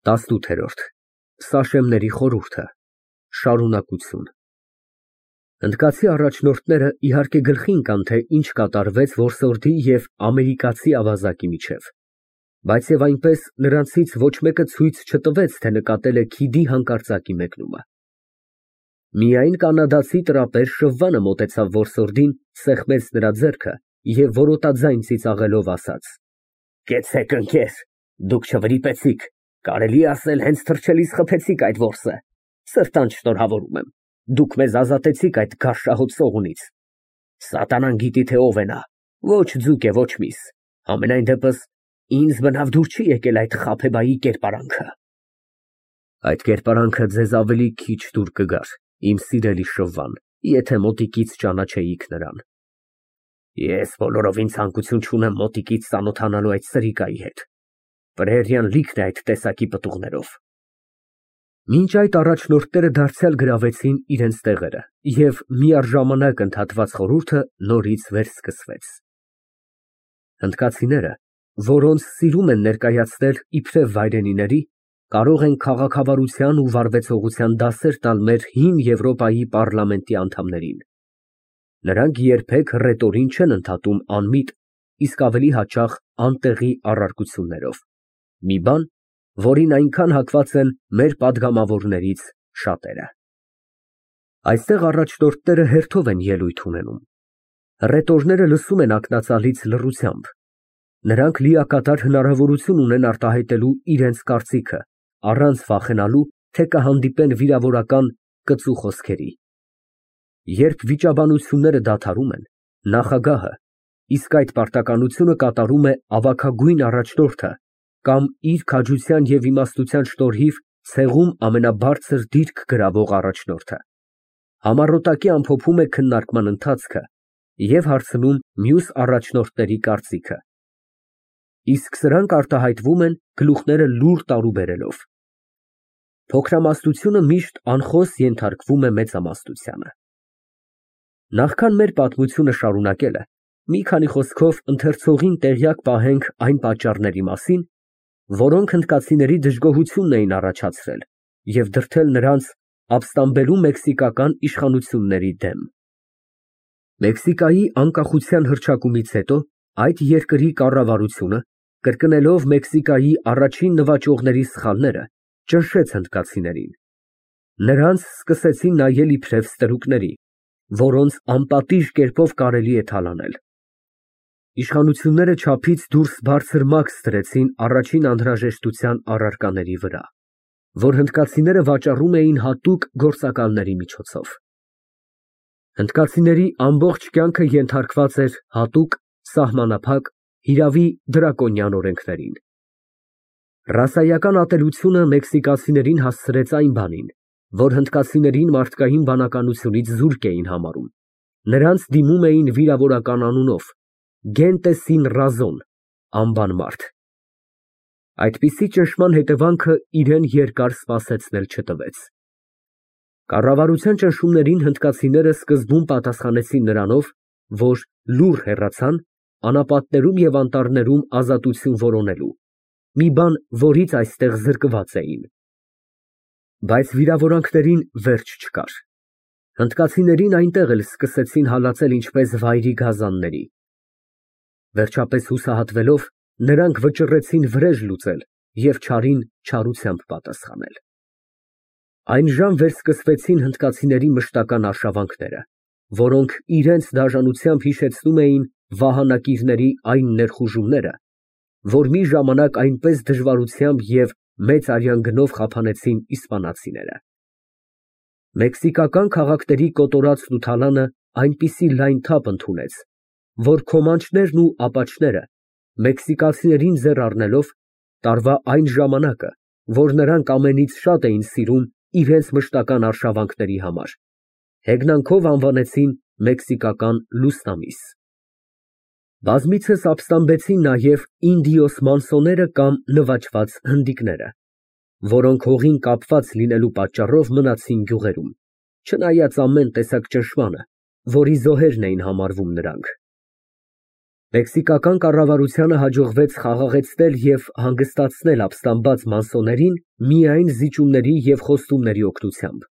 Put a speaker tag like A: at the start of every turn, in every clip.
A: 18։ Սաշեմների խորհուրդը, շարունակություն։ Հնդկացի առաջնորդները իհարկե գլխի ընկան, թե ինչ կատարվեց որսորդի և ամերիկացի ավազակի միջև, բայց և այնպես նրանցից ոչ մեկը ցույց չտվեց, թե նկատել է քիդի հանկարծակի մեկնումը։ Միայն կանադացի տրապեր շվվանը մոտեցավ որսորդին, սեղմեց նրա ձեռքը և որոտաձայն ծիծաղելով ասաց. Կեցեք, ընկեր, դուք չվրիպեցիք, կարելի է ասել հենց թռչելիս խփեցիք այդ որսը, սրտանց շնորհավորում եմ, դուք մեզ ազատեցիք այդ գարշահոտ ծողունից։ Սատանան գիտի, թե ով է նա, ոչ ձուկ է, ոչ միս, համենայն դեպս ինձ բնավ դուր չի եկել այդ խաբեբայի կերպարանքը։ Այդ կերպարանքը ձեզ ավելի քիչ դուր կգար, իմ սիրելի շվվան, եթե մոտիկից ճանաչեիք նրան։ Ես բոլորովին ցանկություն չունեմ մոտիկից ծանոթանալու այդ սրիկայի հետ, Պրերիան լիքն է այդ տեսակի պտուղներով։ Մինչ այդ առաջնորդները դարձյալ գրավեցին իրենց տեղերը, և միառժամանակ ընդհատված խորհուրդը նորից վերսկսվեց։ Հնդկացիները, որոնց սիրում են ներկայացնել իբրև վայրենիների, կարող են քաղաքավարության ու վարվեցողության դասեր տալ մեր հին Եվրոպայի պառլամենտի անդամներին։ Նրանք երբեք ռետորին չեն ընդհատում անմիտ, իսկ ավելի հաճախ անտեղի առարկություններով, մի բան, որին այնքան հակված են մեր պատգամավորներից շատերը։ Այստեղ առաջնորդները հերթով են ելույթ ունենում։ Ռետորները լսում են ակնածալից լռությամբ։ Նրանք լիակատար հնարավորություն ունեն արտահայտելու իրենց կարծիքը, առանց վախենալու, թե կհանդիպեն վիրավորական կծու խոսքերի։ Երբ վիճաբանությունները դադարում են, նախագահը, իսկ այդ պարտականությունը կատարում է ավագագույն առաջնորդը կամ իր քաջության և իմաստության շնորհիվ ցեղում ամենաբարձր դիրք գրավող առաջնորդը, համառոտակի ամփոփում է քննարկման ընթացքը և հարցնում մյուս առաջնորդների կարծիքը, իսկ սրանք արտահայտվում են գլուխները լուռ տարուբերելով։ Փոքրամասնությունը միշտ անխոս ենթարկվում է մեծամասնությանը։ Նախքան մեր պատմությունը շարունակելը, մի քանի խոսքով ընթերցողին տեղյակ պահենք այն պատճառների մասին, որոնք հնդկացիների դժգոհությունն էին առաջացրել և դրդել նրանց ապստամբելու մեքսիկական իշխանությունների դեմ։ Մեքսիկայի անկախության հռչակումից հետո այդ երկրի կառավարությունը, կրկնելով Մեքսիկայի առաջին նվաճողների սխալները, ճնշեց հնդկացիներին։ Նրանց սկսեցին նայել իբրև ստրուկների, որոնց անպատիժ կերպով կարելի է թալանել։ Իշխանությունները չափից դուրս բարձր մաքս դրեցին առաջին անհրաժեշտության առարկաների վրա, որ հնդկացիները վաճառում էին հատուկ գործակալների միջոցով։ Հնդկացիների ամբողջ կյանքը ենթարկված էր հատուկ, սահմանափակ, հիրավի դրակոնյան օրենքներին։ Ռասայական ատելությունը մեքսիկացիներին հասցրեց այն բանին, որ հնդկացիներին մարդկային բանականությունից զուրկ էին համարում, նրանց դիմում էին վիրավորական անունով, gente sin razón, անբան մարդ։ Այդպիսի ճնշման հետևանքը իրեն երկար սպասեցնել չտվեց։ Կառավարության ճնշումներին հնդկացիները սկզբում պատասխանեցին նրանով, որ լուռ հեռացան անապատներում և անտառներում ազատություն որոնելու, մի բան, որից այստեղ զրկված էին։ Բայց վիրավորանքներին վերջ չկար։ Հնդկացիներին այնտեղ էլ սկսեցին հալածել ինչպես վայրի գազանների։ Վերջապես հուսահատվելով, նրանք վճռեցին վրեժ լուծել և չարին չարությամբ պատասխանել։ Այն ժամ վերսկսվեցին հնդկացիների մշտական արշավանքները, որոնք իրենց դաժանությամբ հիշեցնում էին վահանակիրների այն ներխուժումները, որ մի ժամանակ այնպես դժվարությամբ և մեծ արյան գնով խափանեցին իսպանացիները։ Մեքսիկական քաղաքների կոտորածն ու թալանը այնպիսի լայն թափ ընդունեց, որ քոմանչներն ու ապաչները, մեքսիկացիներին ձեռ առնելով, տարվա այն ժամանակը, որ նրանք ամենից շատ էին սիրում իրենց մշտական արշավանքների համար, հեգնանքով անվանեցին մեքսիկական լուսնամիս։ Բազմիցս ապստամբեցին նաև ինդիոս մանսոները կամ նվաճված հնդիկները, որոնք հողին կապված լինելու պատճառով մնացին գյուղերում, չնայած ամեն տեսակ ճնշմանը, որի զոհերն էին համարվում նրանք։ Մեքսիկական կառավարությանը հաջողվեց խաղաղեցնել և հանգստացնել ապստամբած մանսոներին միայն զիջումների և խոստումների օգնությամբ,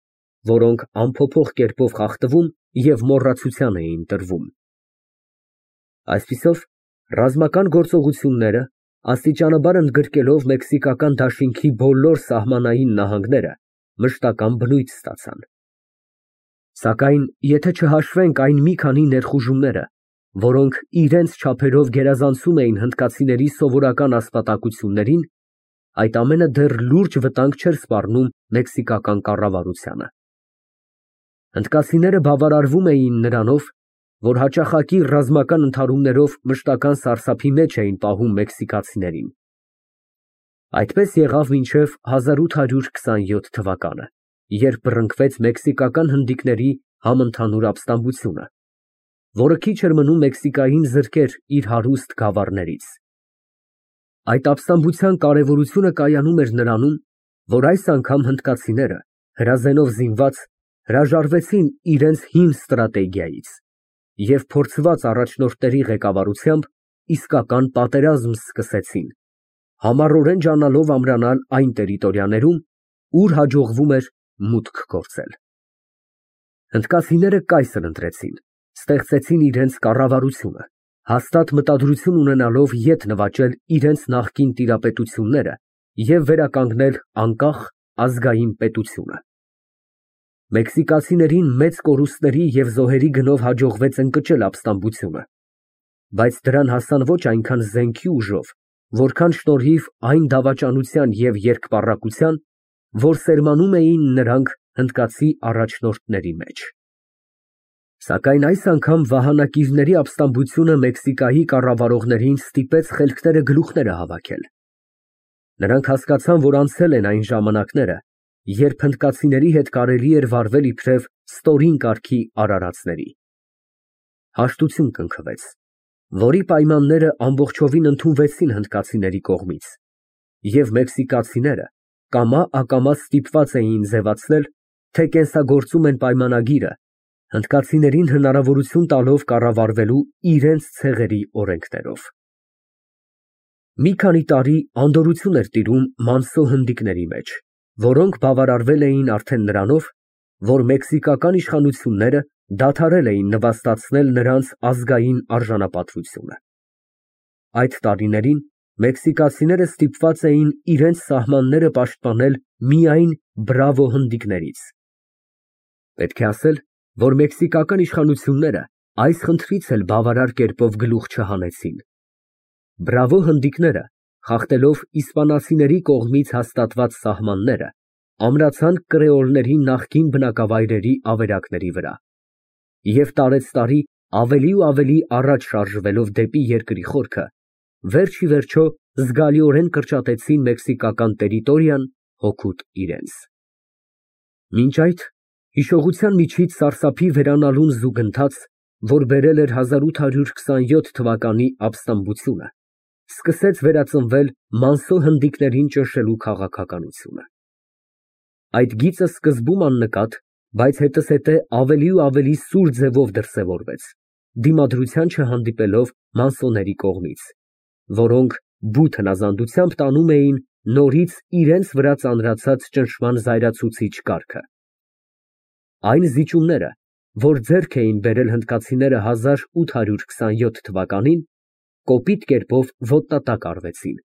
A: որոնք անփոփոխ կերպով խախտվում և մոռացության էին տրվում։ Այսպիսով, ռազմական գործողությունները, աստիճանաբար ընդգրկելով մեքսիկական դաշինքի բոլոր սահմանային նահանգները, մշտական բնույթ ստացան։ Սակայն եթե չհաշվենք այն մի քանի ներխուժումները, որոնք իրենց չափերով գերազանցում էին հնդկացիների սովորական ասպատակություններին, այդ ամենը դեռ լուրջ վտանգ չէր սպառնում մեքսիկական կառավարությանը։ Հնդկացիները բավարարվում էին նրանով, որ հաճախակի ռազմական ընդհարումներով մշտական սարսափի մեջ էին պահում մեքսիկացիներին։ Այդպես եղավ մինչև 1827 թվականը, երբ բռնկվեց մեքսիկական հնդիկների համընդհանուր ապստամբությունը, որը քիչ էր մնում Մեքսիկային զրկեր իր հարուստ գավառներից։ Այդ ապստամբության կարևորությունը կայանում էր նրանում, որ այս անգամ հնդկացիները, հրազենով զինված, հրաժարվեցին իրենց հին ստրատեգիայից և փորձված առաջնորդների ղեկավարությամբ իսկական պատերազմ սկսեցին, համառորեն ջանալով ամրանալ այն տերիտորիաներում, ուր հաջողվում էր մուտք գործել։ Հնդկացիները կայսր ընտրեցին, ստեղծեցին իրենց կառավարությունը, հաստատ մտադրություն ունենալով ետ նվաճել իրենց նախկին տիրապետությունները և վերականգնել անկախ ազգային պետությունը։ Մեքսիկացիներին մեծ կորուստների և զոհերի գնով հաջողվեց ընկճել ապստամբությունը, բայց դրան հասան ոչ այնքան զենքի ուժով, որքան շնորհիվ այն դավաճանության և երկպառակության, որ սերմանում էին նրանք հնդկացի առաջնորդների մեջ։ Սակայն այս անգամ վահանակիրների ապստամբությունը Մեքսիկայի կառավարողներին ստիպեց խելքները գլուխները հավաքել։ Նրանք հասկացան, որ անցել են այն ժամանակները, երբ հնդկացիների հետ կարելի էր վարվել իբրև ստորին կարգի արարածների։ Հաշտություն կնքվեց, որի պայմանները ամբողջովին ընդունվեցին հնդկացիների կողմից, և մեքսիկացիները կամա-ակամա ստիպված էին ձևացնել, թե կենսագործում են պայմանագիրը, հնդկացիներին հնարավորություն տալով կառավարվելու իրենց ցեղերի օրենքներով։ Մի քանի տարի անդորրություն էր տիրում մանսո հնդիկների մեջ, որոնք բավարարվել էին արդեն նրանով, որ մեքսիկական իշխանությունները դադարել էին նվաստացնել նրանց ազգային արժանապատվությունը։ Այդ տարիներին մեքսիկացիները ստիպված էին իրենց սահմանները պաշտպանել միայն բրավո հնդիկներից։ Պետք է ասել, որ մեքսիկական իշխանությունները այս խնդրից էլ բավարար կերպով գլուխ չհանեցին։ Բրավո հնդիկները, խախտելով իսպանացիների կողմից հաստատված սահմանները, ամրացան կրեոլների նախկին բնակավայրերի ավերակների վրա և տարեցտարի ավելի ու ավելի առաջ շարժվելով դեպի երկրի խորքը, վերջ ի վերջո զգալիորեն կրճատեցին մեքսիկական տերիտորիան հօգուտ իրենց։ Մինչ այդ, հիշողության միջից սարսափի վերանալուն զուգընթաց, որ բերել էր 1827 թվականի ապստամբությունը, սկսեց վերածնվել մանսո հնդիկներին ճնշելու քաղաքականությունը։ Այդ գիծը սկզբում աննկատ, բայց հետզհետե ավելի ու ավելի սուր ձևով դրսևորվեց, դիմադրության չհանդիպելով մանսոների կողմից, որոնք բութ հնազանդությամբ տանում էին նորից իրենց վրա ծանրացած ճնշման զայրացուցիչ կարգը։ Այն զիջումները, որ ձեռք էին բերել հնդկացիները 1827 թվականին, կոպիտ կերպով ոտնատակ արվեցին,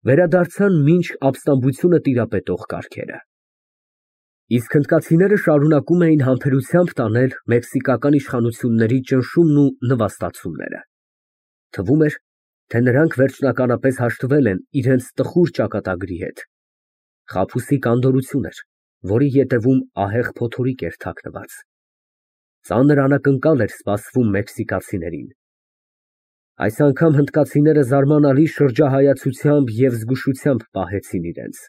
A: վերադարձան մինչ ապստամբությունը տիրապետող կարգերը։ Իսկ հնդկացիները շարունակում էին համբերությամբ տանել մեքսիկական իշխանությունների ճնշումն ու նվաստացումները։ Թվում էր, թե նրանք վերջնականապես հաշտվել են իրենց տխուր ճակատագրի հետ։ Խաբուսիկ անդորրություն էր, որի ետևում ահեղ փոթորիկ էր թաքնված։ Ծանր անակնկալ էր սպասվում մեքսիկացիներին։ Այս անգամ հնդկացիները զարմանալի շրջահայացությամբ և զգուշությամբ պահեցին իրենց։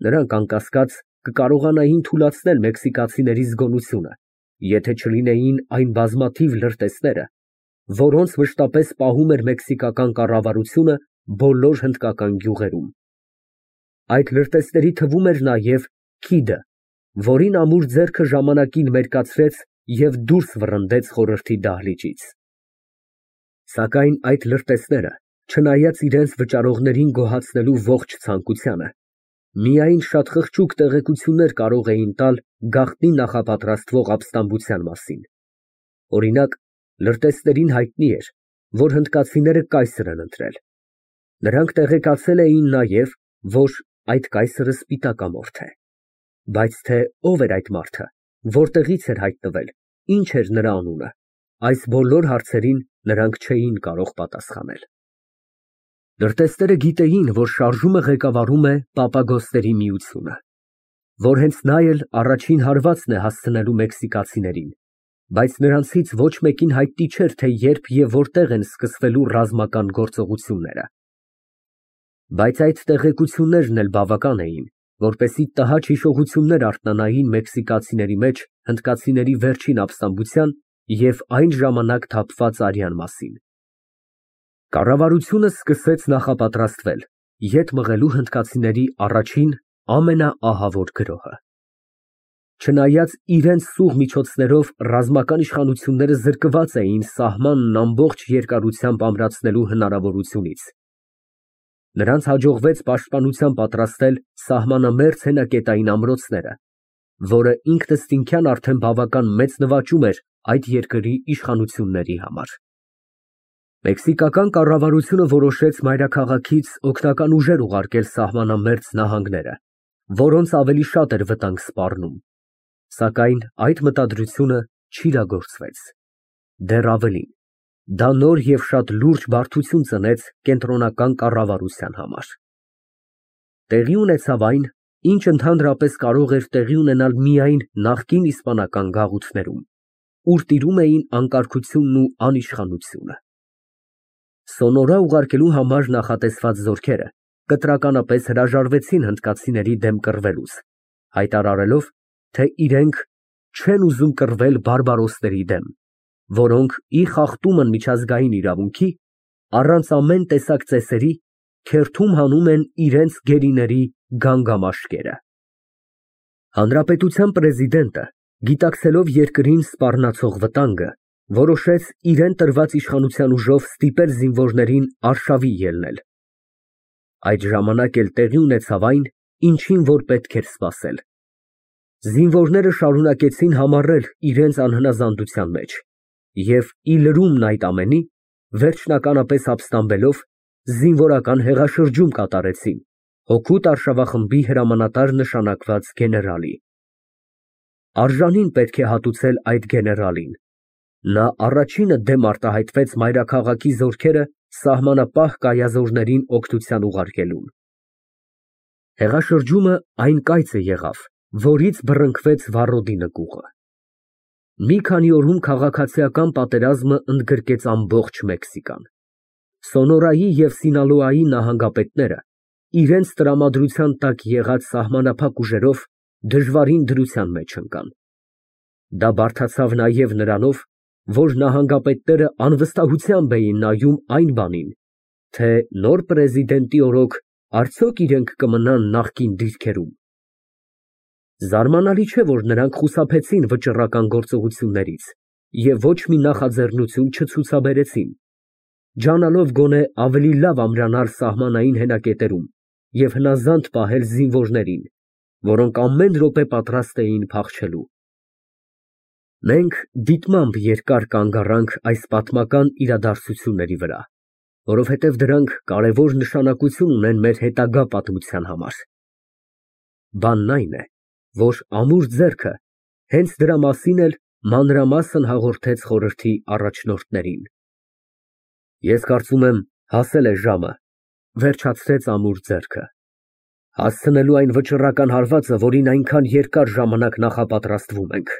A: Նրանք, անկասկած, կկարողանային թուլացնել մեքսիկացիների զգոնությունը, եթե չլինեին այն բազմաթիվ լրտեսները, որոնց մշտապես պահում էր մեքսիկական կառավարությունը բոլոր հնդկական գյուղերում։ Այդ լրտեսների թվում էր նաև Քիդը, որին ամուր ձեռքը ժամանակին մերկացրեց և դուրս վռնդեց խորհրդի դահլիճից։ Սակայն այդ լրտեսները, չնայած իրենց վճարողներին գոհացնելու ողջ ցանկությանը, միայն շատ խղճուկ տեղեկություններ կարող էին տալ գաղտնի նախապատրաստվող ապստամբության մասին։ Օրինակ, լրտեսներին հայտնի էր, որ հնդկացիները կայսր են ընտրել։ Նրանք տեղեկացել էին նաև, որ այդ կայսրը սպիտակամորթ է։ Բայց թե ով էր այդ մարդը, որտեղից էր հայտնվել, ինչ էր նրա անունը, այս բոլոր հարցերին նրանք չէին կարող պատասխանել։ Լրտեսները գիտեին, որ շարժումը ղեկավարում է Պապագոսների միությունը, որ հենց նա էլ առաջին հարվածն է հասցնելու մեքսիկացիներին, բայց նրանցից ոչ մեկին հայտնի չէր, թե երբ և որտեղ են սկսվելու ռազմական գործողությունները։ Բայց այդ տեղեկություններն էլ բավական էին, որպեսզի տհաճ հիշողություններ արթնանային մեքսիկացիների մեջ հնդկացիների վերջին ապստամբության և այն ժամանակ թափված արյան մասին։ Կառավարությունը սկսեց նախապատրաստվել ետ մղելու հնդկացիների առաջին ամենաահավոր գրոհը։ Չնայած իրենց սուղ միջոցներով ռազմական իշխանությունները զրկված էին սահմանն ամբողջ երկարությամբ ամրացնելու հնարավորությունից, նրանց հաջողվեց պաշտպանության պատրաստել սահմանամերձ հենակետային ամրոցները, որը ինքնըստինքյան արդեն բավական մեծ նվաճում էր այդ երկրի իշխանությունների համար։ Մեքսիկական կառավարությունը որոշեց մայրաքաղաքից օգնական ուժեր ուղարկել սահմանամերձ նահանգները, որոնց ավելի շատ էր վտանգ սպառնում, սակայն այդ մտադրությունը չիրագործվեց։ Դեռ ավելին, դա նոր և շատ լուրջ բարդություն ծնեց կենտրոնական կառավարության համար։ Տեղի ունեցավ այն, ինչ ընդհանրապես կարող էր տեղի ունենալ միայն նախկին իսպանական գաղութներում, ուր տիրում էին անկարգությունն ու անիշխանությունը։ Սոնորա ուղարկելու համար նախատեսված զորքերը կտրականապես հրաժարվեցին հնդկացիների դեմ կռվելուց, հայտարարելով, թե իրենք չեն ուզում կռվել բարբարոսների դեմ, որոնք ի խախտումն միջազգային իրավունքի, առանց ամեն տեսակ ծեսերի, քերթում հանում են իրենց գերիների գանգամաշկերը։ Հանրապետության պրեզիդենտը, գիտակցելով երկրին սպառնացող վտանգը, որոշեց իրեն տրված իշխանության ուժով ստիպել զինվորներին արշավի ելնել։ Այդ ժամանակ էլ տեղի ունեցավ այն, ինչին որ պետք էր սպասել։ Զինվորները շարունակեցին համառել իրենց անհնազանդության մեջ և ի լրումն այդ ամենի, վերջնականապես ապստամբելով, զինվորական հեղաշրջում կատարեցին հօգուտ արշավախմբի հրամանատար նշանակված գեներալի։ Արժանին պետք է հատուցել այդ գեներալին։ Նա առաջինը դեմ արտահայտվեց մայրաքաղաքի զորքերը սահմանապահ կայազորներին օգնության ուղարկելուն։ Հեղաշրջումը այն կայծը եղավ, որից բռնկվեց Վառոդի նկուղը։ Մի քանի օրում քաղաքացիական պատերազմը ընդգրկեց ամբողջ Մեքսիկան։ Սոնորայի և Սինալոայի նահանգապետները իրենց տրամադրության տակ եղած սահմանափակ ուժերով դժվարին դրության մեջ ընկան։ Դա բարդացավ նաև նրանով, որ նահանգապետները անվստահությամբ էին նայում այն բանին, թե նոր պրեզիդենտի օրոք արդյոք իրենք կմնան նախկին դիրքերում։ Զարմանալի չէ, որ նրանք խուսափեցին վճռական գործողություններից և ոչ մի նախաձեռնություն չցուցաբերեցին, ջանալով գոնե ավելի լավ ամրանալ սահմանային հենակետերում և հնազանդ պահել զինվորներին, որոնք ամեն րոպե պատրաստ էին փախչելու։ Մենք դիտմամբ երկար կանգ առանք այս պատմական իրադարձությունների վրա, որովհետև դրանք կարևոր նշանակություն ունեն մեր հետագա պատմության համար։ Բանն այն է, որ ամուր ձեռքը հենց դրա մասին էլ մանրամասն հաղորդեց խորհրդի առաջնորդներին։ Ես կարծում եմ, հասել է ժամը, վերջացրեց ամուր ձեռքը, հասցնելու այն վճռական հարվածը, որին այնքան երկար ժամանակ նախապատրաստվում ենք։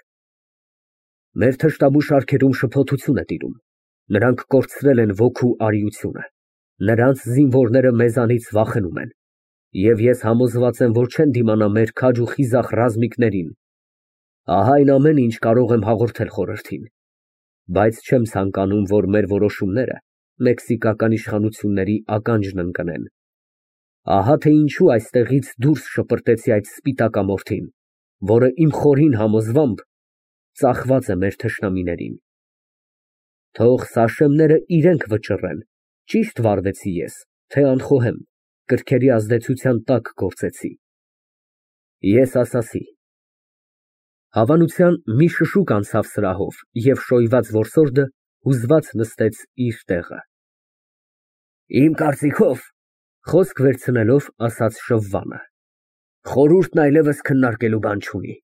A: Մեր թշնամու շարքերում շփոթություն է տիրում, նրանք կորցրել են ոգու արիությունը, նրանց զինվորները մեզանից վախենում են, և ես համոզված եմ, որ չեն դիմանա մեր քաջ ու խիզախ ռազմիկներին։ Ահա այն ամենը, ինչ կարող եմ հաղորդել խորհրդին, բայց չեմ ցանկանում, որ մեր որոշումները մեքսիկական իշխանությունների ականջն ընկնեն։ Ահա թե ինչու այստեղից դուրս շպրտեցի այդ սպիտակամորթին, որը իմ խորին համոզմամբ ծախված է մեր թշնամիներին։ Թող Սաշեմները իրենք վճռեն, ճիշտ վարվեցի ես, թե անխոհեմ, կրքերի ազդեցության տակ գործեցի։ Ես ասացի։ Հավանության մի շշուկ անցավ սրահով, և շոյված որսորդը հուզված նստեց իր տեղը։ Իմ կարծիքով, խոսք վերցնելով, ասաց շվվանը, խորհուրդն այլևս քննարկելու բան չունի։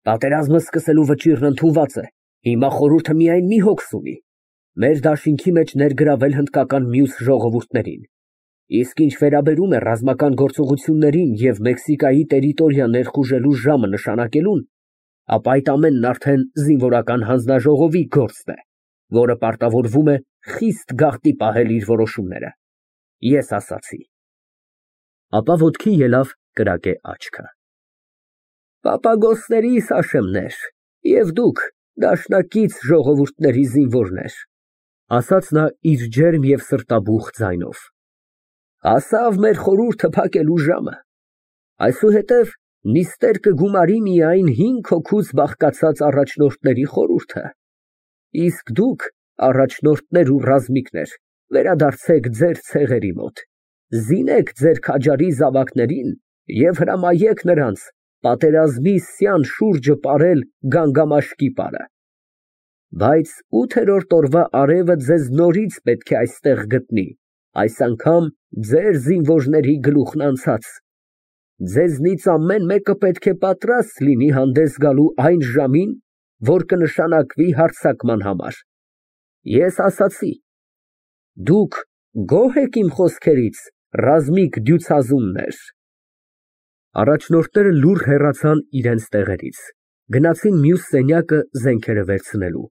A: Պատերազմը սկսելու վճիռն ընդունված է, հիմա խորհուրդը միայն մի հոգս ունի, մեր դաշինքի մեջ ներգրավել հնդկական մյուս ժողովուրդներին։ Իսկ ինչ վերաբերում է ռազմական գործողություններին և Մեքսիկայի տերիտորիա ներխուժելու ժամը նշանակելուն, ապա այդ ամենն արդեն զինվորական հանձնաժողովի գործն է, որը պարտավորվում է խիստ գաղտնի պահել իր որոշումները։ Ես ասացի։ Ապա ոտքի ելավ կրակե աչքը։ Պապագոսների Սաշեմներ, և դուք, դաշնակից ժողովուրդների զինվորներ, ասաց նա իր ջերմ և սրտաբուխ ձայնով, հասավ մեր խորհուրդը փակելու ժամը, այսուհետև նիստեր կգումարի միայն 5 հոգուց բաղկացած առաջնորդների խորհուրդը, իսկ դուք, առաջնորդներ ու ռազմիկներ, վերադարձեք ձեր ցեղերի մոտ, զինեք ձեր քաջարի զավակներին և հրամայեք նրանց պատերազմի սյան շուրջը պարել գանգամաշկի պարը։ Բայց 8-րդ օրվա արևը ձեզ նորից պետք է այստեղ գտնի, այս անգամ ձեր զինվորների գլուխն անցած։ Ձեզնից ամեն մեկը պետք է պատրաստ լինի հանդես գալու այն ժամին, որ կնշանակվի հարձակման համար։ Ես ասացի. դուք գոհ եք իմ խոսքերից, ռազմիկ դյուցազուններ։ Առաջնորդները լուռ հեռացան իրենց տեղերից, գնացին մյուս սենյակը զենքերը վերցնելու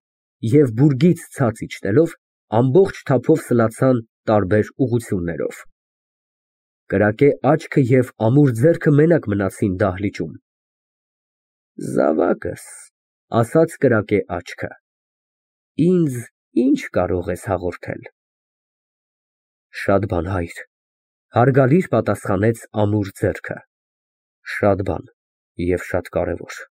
A: և բուրգից ցած իջնելով ամբողջ թափով սլացան տարբեր ուղղություններով։ Կրակե աչքը և ամուր ձեռքը մենակ մնացին դահլիճում։ Զավակս, ասաց կրակե աչքը, ինձ ինչ կարող ես հաղորդել։ Շատ բան, հայր, հարգալից պատասխանեց ամուր ձեռքը, շատ բան և շատ կարևոր։